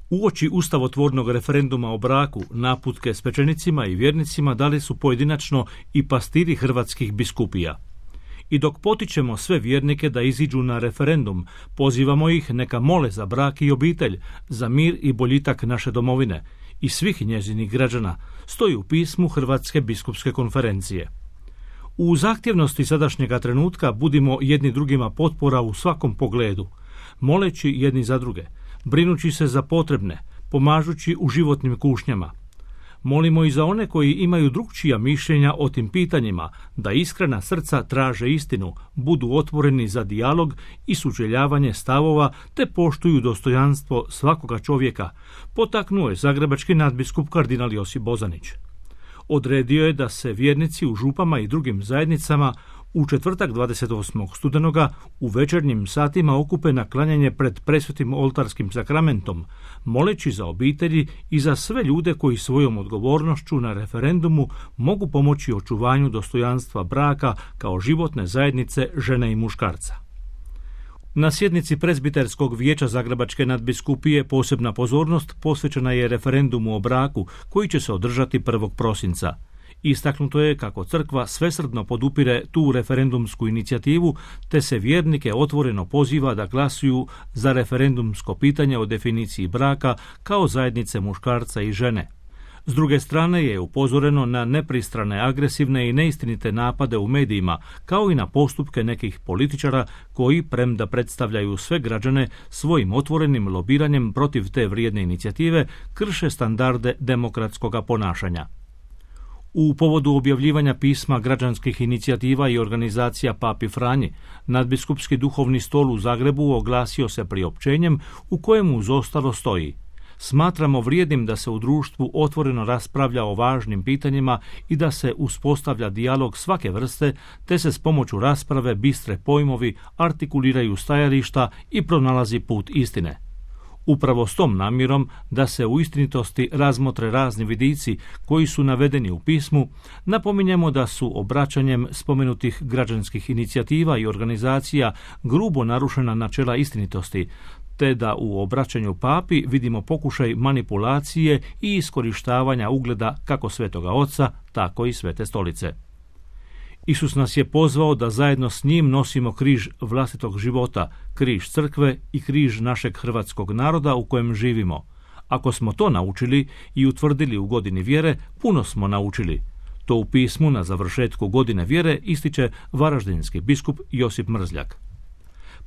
Uoči ustavotvornog referenduma o braku, naputke svečenicima i vjernicima dali su pojedinačno i pastiri hrvatskih biskupija. I dok potičemo sve vjernike da iziđu na referendum, pozivamo ih neka mole za brak i obitelj, za mir i boljitak naše domovine i svih njezinih građana, stoji u pismu Hrvatske biskupske konferencije. U zahtjevnosti sadašnjega trenutka budimo jedni drugima potpora u svakom pogledu, moleći jedni za druge, brinući se za potrebne, pomažući u životnim kušnjama. Molimo i za one koji imaju drukčija mišljenja o tim pitanjima, da iskrena srca traže istinu, budu otvoreni za dijalog i sučeljavanje stavova te poštuju dostojanstvo svakoga čovjeka, potaknuo je zagrebački nadbiskup kardinal Josip Bozanić. Odredio je da se vjernici u župama i drugim zajednicama u četvrtak 28. studenoga u večernjim satima okupe na klanjanje pred presvetim oltarskim sakramentom, moleći za obitelji i za sve ljude koji svojom odgovornošću na referendumu mogu pomoći očuvanju dostojanstva braka kao životne zajednice žene i muškarca. Na sjednici Prezbiterskog vijeća Zagrebačke nadbiskupije posebna pozornost posvećena je referendumu o braku koji će se održati 1. prosinca. Istaknuto je kako crkva svesrdno podupire tu referendumsku inicijativu te se vjernike otvoreno poziva da glasuju za referendumsko pitanje o definiciji braka kao zajednice muškarca i žene. S druge strane je upozoreno na nepristrane, agresivne i neistinite napade u medijima, kao i na postupke nekih političara koji, premda predstavljaju sve građane, svojim otvorenim lobiranjem protiv te vrijedne inicijative krše standarde demokratskog ponašanja. U povodu objavljivanja pisma građanskih inicijativa i organizacija Papi Franji, nadbiskupski duhovni stol u Zagrebu oglasio se priopćenjem u kojemu uz ostalo stoji: smatramo vrijednim da se u društvu otvoreno raspravlja o važnim pitanjima i da se uspostavlja dijalog svake vrste, te se s pomoću rasprave bistre pojmovi artikuliraju stajališta i pronalazi put istine. Upravo s tom namjerom da se u istinitosti razmotre razni vidici koji su navedeni u pismu, napominjemo da su obraćanjem spomenutih građanskih inicijativa i organizacija grubo narušena načela istinitosti, te da u obraćanju papi vidimo pokušaj manipulacije i iskorištavanja ugleda kako Svetoga Oca, tako i Svete Stolice. Isus nas je pozvao da zajedno s njim nosimo križ vlastitog života, križ crkve i križ našeg hrvatskog naroda u kojem živimo. Ako smo to naučili i utvrdili u godini vjere, puno smo naučili. To u pismu na završetku godine vjere ističe varaždinski biskup Josip Mrzljak.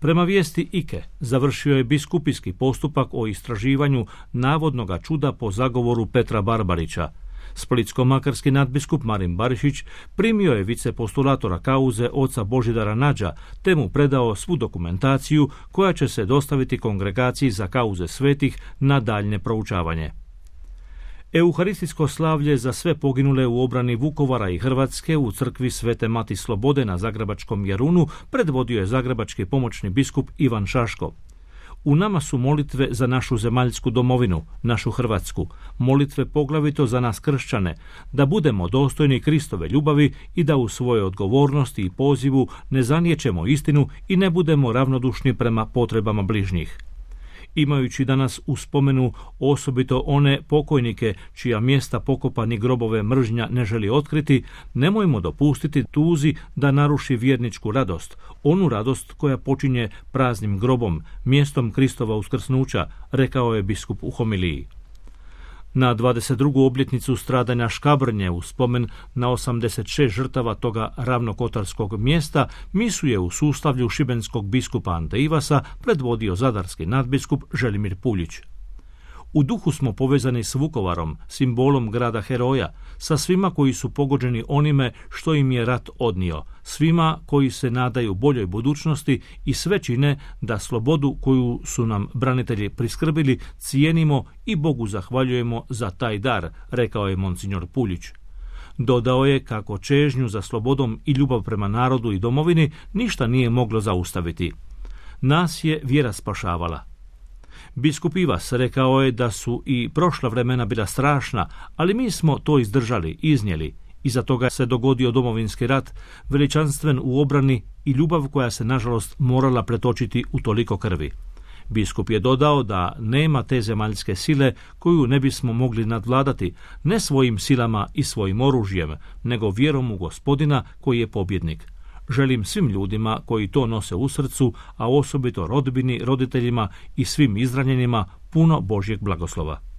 Prema vijesti IKE završio je biskupijski postupak o istraživanju navodnoga čuda po zagovoru Petra Barbarića. Splitsko-makarski nadbiskup Marin Barišić primio je vicepostulatora kauze oca Božidara Nađa te mu predao svu dokumentaciju koja će se dostaviti Kongregaciji za kauze svetih na daljnje proučavanje. Euharistijsko slavlje za sve poginule u obrani Vukovara i Hrvatske u crkvi Svete Mati Slobode na Zagrebačkom Jarunu predvodio je zagrebački pomoćni biskup Ivan Šaško. U nama su molitve za našu zemaljsku domovinu, našu Hrvatsku, molitve poglavito za nas kršćane, da budemo dostojni Kristove ljubavi i da u svojoj odgovornosti i pozivu ne zaniječemo istinu i ne budemo ravnodušni prema potrebama bližnjih. Imajući danas u spomenu osobito one pokojnike čija mjesta pokopa ni grobove mržnja ne želi otkriti, nemojmo dopustiti tuzi da naruši vjerničku radost, onu radost koja počinje praznim grobom, mjestom Kristova uskrsnuća, rekao je biskup u homiliji. Na 22. obljetnicu stradanja Škabrnje u spomen na 86 žrtava toga ravnokotarskog mjesta misu je u sustavlju šibenskog biskupa Ante Ivasa predvodio zadarski nadbiskup Želimir Puljić. U duhu smo povezani s Vukovarom, simbolom grada heroja, sa svima koji su pogođeni onime što im je rat odnio, svima koji se nadaju boljoj budućnosti i sve čine da slobodu koju su nam branitelji priskrbili cijenimo i Bogu zahvaljujemo za taj dar, rekao je monsignor Puljić. Dodao je kako čežnju za slobodom i ljubav prema narodu i domovini ništa nije moglo zaustaviti. Nas je vjera spašavala. Biskup Ivas rekao je da su i prošla vremena bila strašna, ali mi smo to izdržali, iznijeli. Iza toga se dogodio Domovinski rat, veličanstven u obrani i ljubav koja se nažalost morala pretočiti u toliko krvi. Biskup je dodao da nema te zemaljske sile koju ne bismo mogli nadvladati, ne svojim silama i svojim oružjem, nego vjerom u Gospodina koji je pobjednik. Želim svim ljudima koji to nose u srcu, a osobito rodbini, roditeljima i svim izranjenima puno Božjeg blagoslova.